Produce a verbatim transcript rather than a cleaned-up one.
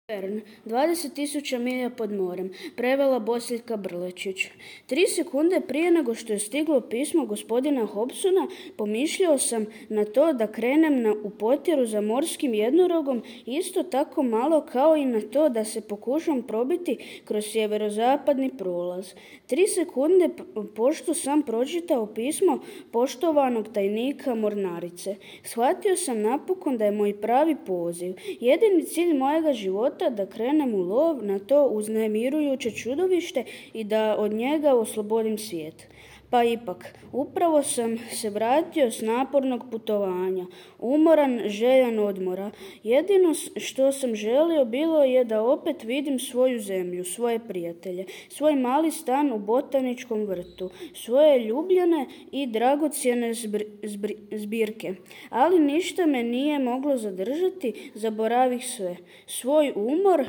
Vern, dvadeset tisuća milja pod morem, prevela Bosiljka Brlečić. Tri sekunde prije nego što je stiglo pismo gospodina Hobsona, pomišljao sam na to da krenem na, u potjeru za morskim jednorogom, isto tako malo kao i na to da se pokušam probiti kroz sjeverozapadni prolaz. Tri sekunde pošto sam pročitao pismo poštovanog tajnika mornarice. Shvatio sam napokon da je moj pravi poziv, jedini cilj mojega života, da krenem u lov na to uznemirujuće čudovište i da od njega oslobodim svijet. Pa ipak, upravo sam se vratio s napornog putovanja, umoran, željan odmora. Jedino što sam želio bilo je da opet vidim svoju zemlju, svoje prijatelje, svoj mali stan u botaničkom vrtu, svoje ljubljene i dragocjene zbirke. Ali ništa me nije moglo zadržati, zaboravih sve. Svoj umor,